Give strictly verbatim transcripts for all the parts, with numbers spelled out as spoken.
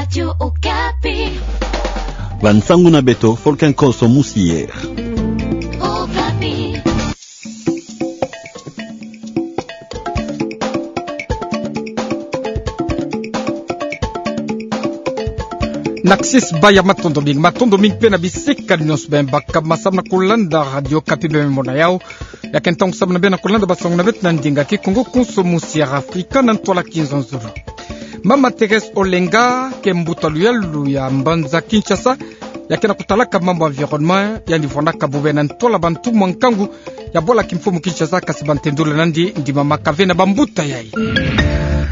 Radio Okapi. Bansangu na beto, Folken Koso Musier. Okapi. Naksisi baya, matondo mingi, matondo mingi pe na bisika nyonso bem baka, ma samu na kulanda Radio Okapi bem mona yao. Ya ke ntangu samu na bem na kulanda bansangu na beto na ndinga Kikongo, Konso Musier Afrika na ntwala Kinzonzolo. Mama Thérèse Olenga, ke mbuta luyalu ya mbanza Kinshasa, ya ke na kutalaka mambu environnement, yandi vwanaka bube na ntwala bantumwa nkangu ya bwala kimfumu Kinshasa, kasi bantendula nandi ndima maka ve na bambuta yayi.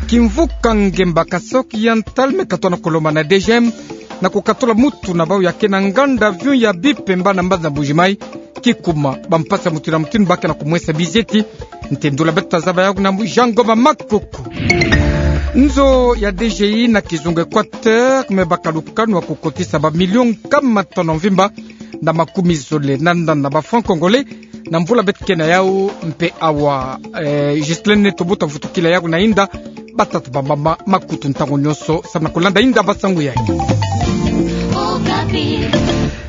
Kimvuka ngemba Kasaï Oriental me katoa na kolomba na D G M na kukatula mutu na bau ya ke na nganda avion ya Bipemba na mbanza Mbuji-Mayi, kikuma bampasi ya mutinu na mutinu ba ke na kumwesa bizeti. Ntendula beto tazaba yau na mbu Jean Ngoma Makoko. Nzo ya D G I na kizunga Équateur me baka lukanu ya kukotisa bamilio nkama tanu mvimba na makumi zole na nana ba francs congolais na mvula beto ke na yau, mpe awa, eh, Ghislaine Neto Mbuta vutukila yau na inda. Batata, bamama, makutu, ntangu nyonso samu na kulanda inda bansangu yayi.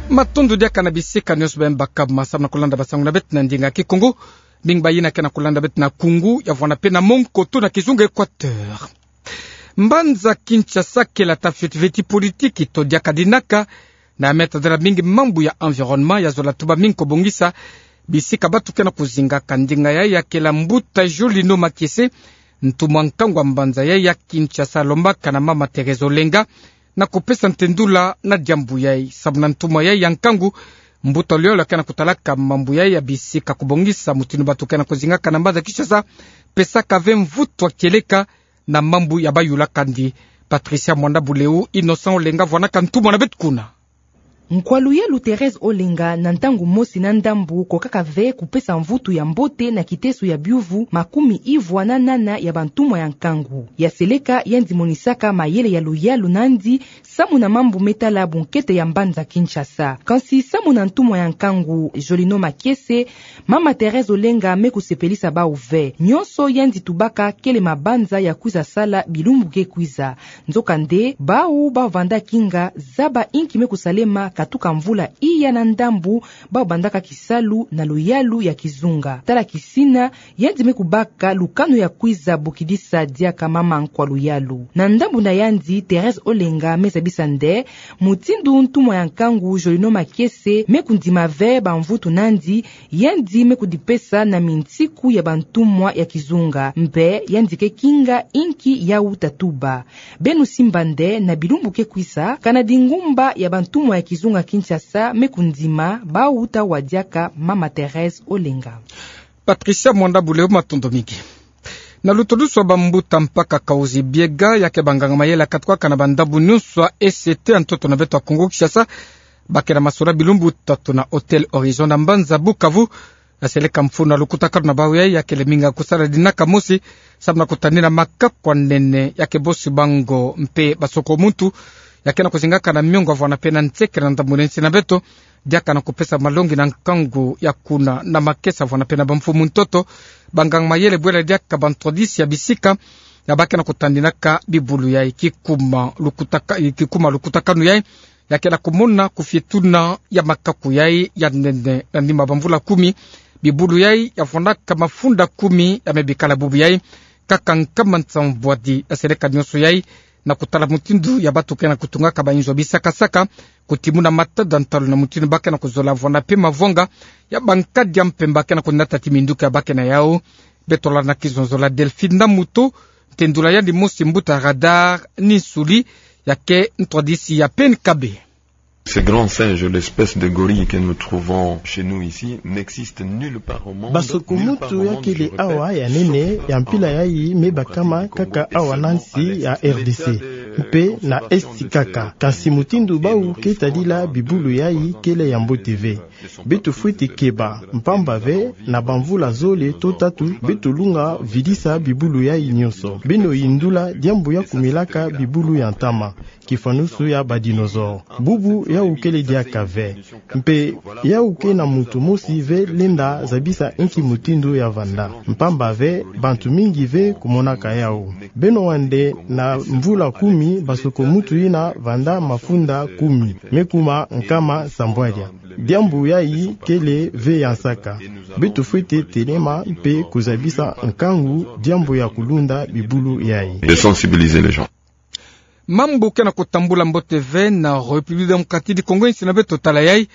Matondo diaka na bisika nyonso bem baka, ma samu na kulanda bansangu na beto na ndinga Kikongo, mingi bayina ke na kulanda beto na Kungu, ya vwana pe na Monkoto na kizunga Équateur. Mbanza Kinshasa kela tata fioti veti politiki to diaka dinaka, na meta dela mingi mambu ya environnement ya zola tuba mingi ko bongisa bisika batu ke na kuzingaka. Ndinga yayi ya kela mbuta Jolino Makiese, ntumwa nkangu ya mbanza yayi ya Kinshasa, alombaka na mama Thérèse Olenga na kupesa ntendula na diambu yayi. Samu na ntumwa yayi ya nkangu, mbuta luyalu ya ke na kutalaka mambu yayi ya bisika kubongisa mutinu batu ke na kuzingaka na mbanza Kinshasa, pesaka ve mvutu ya kieleka na mambu ya bayula kandi. Patricia Mwanda Buleu, Innocent Olenga vwanaka ntumwa na beto kuna. Nkwa luyalu Thérèse Olenga na ntangu mosi na ndambu kokaka ve kupesa mvutu ya mbote na kiteso ya biuvu makumi ivwa na nana ya bantumwa ya nkangu. Ya seleka yandi monisaka mayele ya luyalu nandi samu na mambu me tala bunkete ya mbanza Kinshasa. Kansi samu na ntumwa ya nkangu Jolino Makiese, mama Thérèse Olenga me kusepelisa bau ve. Nyonso yandi tubaka kele mabanza ya kwiza sala bilumbu ke kwiza. Nzokande, bau bavanda kinga zaba inki me kusalema katuka mvula iya na ndambu bau bandaka kisalu na luyalu ya kizunga. Tala kisina, yandi me kubaka lukanu ya kwiza bokidisa diaka mama nkwa luyalu. Na ndambu na yandi, Thérèse Olenga me zabisa nde mutindu ntumwa ya nkangu Jolino Makiese me kundima ve bamvutu nandi, yandi me kudipesa na mintiku ya bantumwa ya kizunga, mpe yandi ke kinga inki yau tatuba. Beno simba nde na bilumbu ke kwiza, kana dingumba ya bantumwa ya kizunga Kinshasa me kundima bau ta wa diaka mama Thérèse Olenga. Patricia Mwanda Buleu, matondo mingi. Na lutodusu wa bambuta mpaka Kahuzi-Biega, ya ke banganga mayele ya katukaka na bandambu nyonso ya E C T ya ntoto na beto ya Kongo Kinshasa, ba ke na masura bilumbu tatu na Hôtel Horizon na mbanza Bukavu, ya seleka mfunu na lukutakanu na bau yayi ya kele minga kusala dinaka mosi samu na kutanina makaku ya nene ya ke bosi bango mpe basoko muntu, ya ke na kuzingaka na miongo ya vwana pe na nsekele na ndambu na nsi na beto, diaka na kupesa malongi na nkangu ya kuna na makesa vwana pe na bamfumu ntoto. Banganga mayele bwela diaka bantwadisi ya bisika ya ba ke na kutaninaka bibulu yayi. Kikuma lukutaka-, kikuma lukutakanu yayi, ya kele kumona kufietuna ya makaku yayi ya nene na nima bamvula kumi. Bibulu yayi ya vwanaka mafunda kumi ya me bikala bubu yayi, kaka nkama nsambwadi ya seleka nyonso yayi, na kutala mutindu ya batu ke na kutungaka bayinzo bisakasaka, kutimuna matada ntalu na mutindu ba ke na kuzola vwana pe mavwanga ya bankadia mpe ba ke na kunata ti minduki ya ba ke na yau. Beto landa na kizonzolo ya Delphine Namuto, ntendula yandi mosi mbuta Radar Ninsuli, ya ke ntwadisi ya P N K B. Ces grands singes, l'espèce de gorille que nous trouvons chez nous ici, n'existe nulle part au monde, nulle part au monde, je répète, sauf en Afrique, en Europe, en Asie, et peut-être même en Asie. Mpe na Est kaka. Kansi mutindu bau ke tadila bibulu yayi kele ya mbote ve. Beto fwete keba, mpamba ve, na bamvula zole to tatu, beto lunga vidisa bibulu yayi nyonso. Beno yindula diambu ya kumilaka bibulu ya ntama, kifwanusu ya ba dinosaures. Bubu yau kele diaka ve. Mpe yau ke na muntu mosi ve lenda zabisa inki mutindu ya vanda. Mpamba ve, bantu mingi ve kumonaka yau. Beno wande na mvula kumi, basoko muntu yina vanda mafunda kumi, me kuma nkama sambwadia. Diambu yayi kele ve ya nsaka. Beto fwete telema mpe kuzabisa nkangu diambu ya kulunda bibulu yayi. De sensibiliser les gens. Mambu ke na kutambula mbote ve na République Démocratique du Congo, insi na beto tala yayi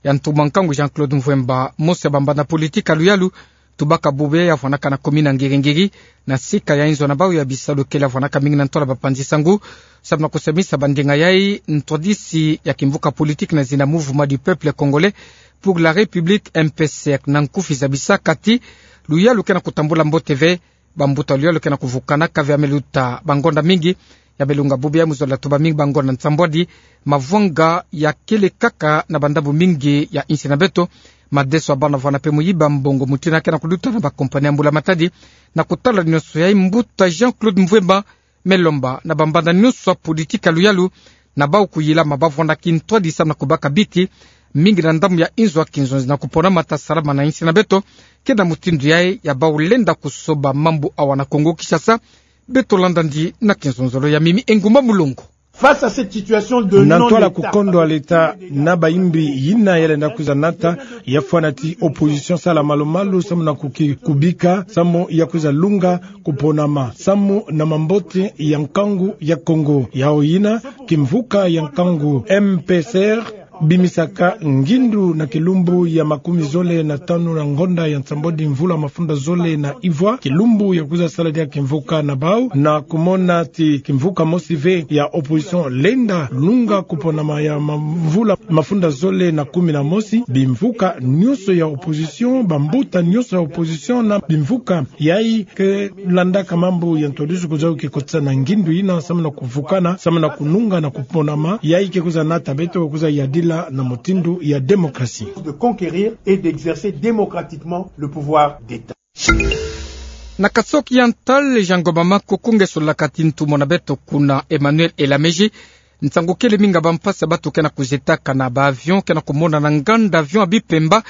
ya ntumwa nkangu Jean-Claude Mvuemba, mosi ya bambanda politiki ya luyalu, tubaka bubu yayi avwanaka na commune ya Ngiri-Ngiri, na sika ya inzo na bau ya bisalu kele avwanaka mingi na ntwala bapanzi nsangu, samu na kusemisa bandinga yayi ntwadisi ya kimvuka politiki na zina Mouvement du Peuple Congolais pour la République, M P C R, na nkufi zabisaka ti luyalu ke na kutambula mbote ve, bambuta luyalu ke na kuvukanaka ve ya me luta bangonda mingi, ya me lunga bubu yayi mu zola tuba mingi bangonda nsambwadi, mavwanga ya kele kaka na bandambu mingi ya insi na beto, madeso ya bana vwana mpe muyiba mbongo mutindu ke na kuluta na ba compagnie ya mbula-matadi, na kutala nyonso yayi mbuta Jean-Claude Mvuemba me lomba na bambanda nyonso ya politiki ya luyalu, na bau kuyilama bavwanda kintwadi samu na kubaka biti, mingi na ndambu ya inzo ya kinzonzi na kupona mata salama na insi na beto, ke na mutindu yayi ya bau lenda kusoba mambu awa na Kongo-Kinshasa, beto landa ndi na kinzonzolo ya Mimi Engumba Mulongo. Face à cette situation de na ntwala non-État, kukondwa l'État na bayimbi yina ya lenda kwiza nata, ya fwana ti opposition sala malu-malu samu na kuki-, kubika, samu ya kwiza lunga kuponama, samu na mambote ya nkangu ya Kongo. Yau yina, kimvuka ya nkangu M P C R bimisaka ngindu na kilumbu ya makumi zole na tanu na ngonda ya nsambwadi mvula mafunda zole na ivwa, kilumbu ya kwiza sala dia kimvuka na bau, na kumona ti kimvuka mosi ve ya opposition lenda lunga kuponama ya ma-, mvula mafunda zole na kumi na mosi, bimvuka nyonso ya opposition, bambuta nyonso ya opposition na bimvuka yayi ke landaka mambu ya ntwadisu kwiza kukotisa na ngindu yina samu na kuvukana, samu na kununga na kuponama, yayi ke kwiza nata beto kwiza yadila na mutindu ya démocratie. De conquérir et d'exercer démocratiquement le pouvoir d'État. Na Kasaï Oriental, Jean Ngomba Makoko nge solaka ti ntumwa na beto kuna Emmanuel Elamezi, nsangu kele mingi ya bampasi ya bantu ke na kuzetaka na ba avion ke na kumonana na nganda avion ya Bipemba,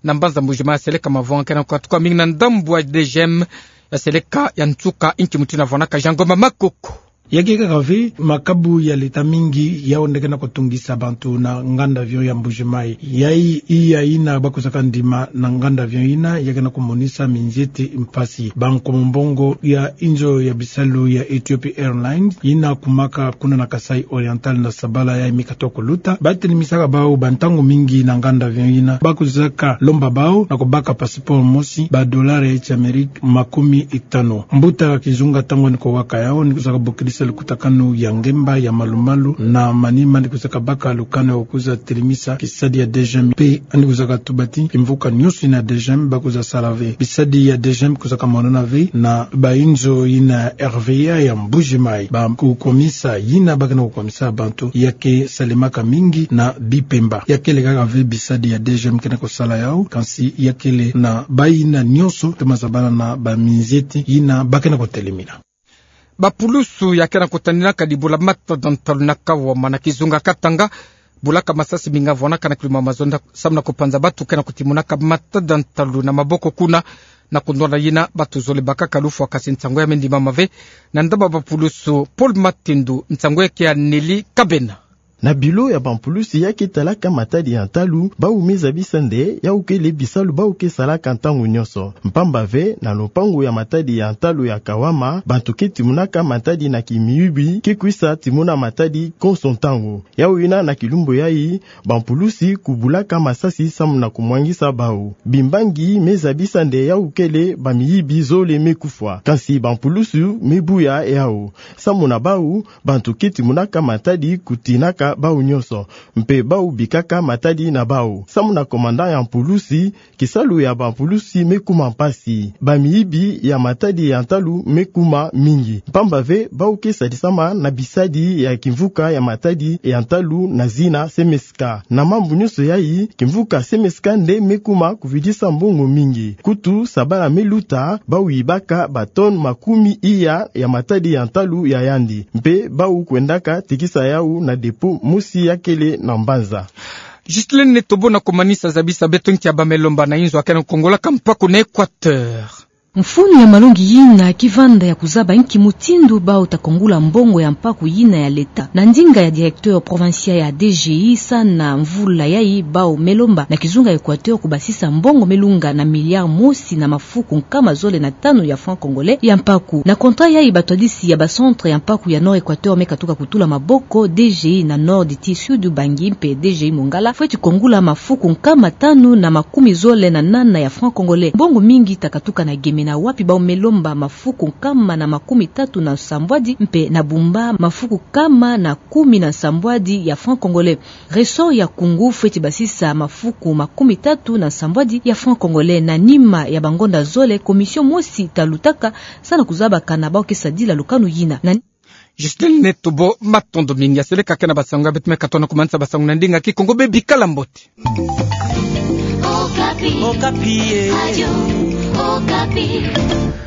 na mbanza Mbuji-Mayi, ya seleka mavwanga ke na kukatuka mingi na ndambu ya D G M, ya seleka ya nsuka. Inki mutindu avwanaka Jean Ngomba Makoko? Ya ke kaka ve, makabu ya l'État mingi yau nde ke na kutungisa bantu na nganda avion ya Mbuji-Mayi. Yayi iya yina bakwizaka ndima na nganda avion yina, ya ke na kumonisa minzeti mpasi. Bankomo mbongo ya inzo ya bisalu ya Ethiopia Airlines, yina kumaka kuna na Kasaï Oriental na sabala yayi mi katuka kuluta, batelemisaka bau bantangu mingi na nganda avion yina, bakwizaka lomba bau na kubaka passeport mosi, ba dollars ya Eti Amérique makumi tanu. Mbuta Kizunga, ntangu yandi kuwaka yau, yandi kwizaka bokidisa lukutakanu ya ngemba ya malu-malu na manima, yandi kwizaka baka lukanu ya kwiza telemisa kisadi ya D G M, mpe yandi kwizaka tuba ti kimvuka nyonso yina ya D G M bakwiza sala ve. Bisadi ya D G M kwizaka monana ve na ba inzo yina ya R V A ya Mbuji-Mayi. Ba kukomisa yina ba ke na kukomisa bantu ya ke salemaka mingi na Bipemba. Ya kele kaka ve bisadi ya D G M ke na kusala yau, kansi ya kele na bayina nyonso, toma zabala na ba minzeti yina ba ke na kutelemina. Bapulusu ya ke na kutadinaka dibula matada ntalu na Kawama na kizunga Katanga, bulaka masasi mingi avwanaka na kiluma mazono samu na kupanza bantu ke na kutimunaka matada ntalu na maboko kuna. Na kundola yina, bantu zole bakaka lufwa, kansi nsangu ya me ndimama ve na ndaba bapulusu. Paul Matindu, nsangu ya ke ya Nelly Kabena. Na bilo ya bampulusu ya ke talaka matadi ya ntalu, bau me zabisa nde yau kele bisalu bau ke salaka ntangu nyonso. Mpamba ve, na lupangu ya matadi ya ntalu ya Kawama, bantu ke timunaka matadi na kimiyibi ke kwisa timuna matadi konso ntangu. Yau yina na kilumbu yayi, bampulusu kubulaka masasi samu na kumwangisa bau. Bimbangi me zabisa nde yau kele bamiyibi zole me kufwa. Kansi bampulusu me buya yau. Samu na bau, bantu ke timunaka matadi kutinaka bau nyonso, mpe bau bikaka matadi na bau. Samu na commandant ya pulusi, kisalu ya bapulusi me kuma mpasi. Bamiyibi ya matadi ya ntalu me kuma mingi. Mpamba ve bau ke sadisama na bisadi ya kimvuka ya matadi ya ntalu na zina CMSK. Na mambu nyonso yayi, kimvuka CMSK nde me kuma kuvidisa mbongo mingi. Kutu, sabala me luta, bau yibaka ba tonnes makumi iya ya matadi ya ntalu ya yandi. Mpe bau kwendaka tekisa yau na dépôt mosi ya kele na Mbanza. Justine Netobo na komanisa zabisa beto nkia ba me lomba na inzo akena kongolaka mpaku na Equateur. Mfunu ya malongi yina kivanda ya kuzaba nki mutindu bau ta kongula mbongo ya mpaku yina ya leta. Na ndinga ya directeur provincial ya DGI, sa na mvula yayi bau me lomba na kizunga Equateur kubasisa mbongo me lunga na milliard mosi na mafuku nkama zole na tanu ya francs congolais ya mpaku. Na contrat yayi batwadisi ya ba centre ya mpaku ya Nord Equateur me katuka kutula maboko, DGI na Nord ti Sud Ubangi mpe DGI Mongala, fweti kongula mafuku nkama tanu na makumi zole na nana ya francs congolais. Mbongo mingi ta katuka na gemena, wapi bau me lomba mafuku nkama na makumi tatu na nsambwadi, mpe na Bumba mafuku nkama na kumi na nsambwadi ya francs congolais. Ressort ya Koungou fweti basisa mafuku makumi tatu na nsambwadi ya francs congolais. Na nima ya bangonda zole, commission mosi ta lutaka, sa na kuzabaka na bau ke sadila lukanu yina. Na Justine Netobo, matondo mingi. Seleka kena basango ya beto me katono kumanisa basango na ndinga Kikongo, bebikala mbote. Okapi. Okapi, eh. Radio Okapi.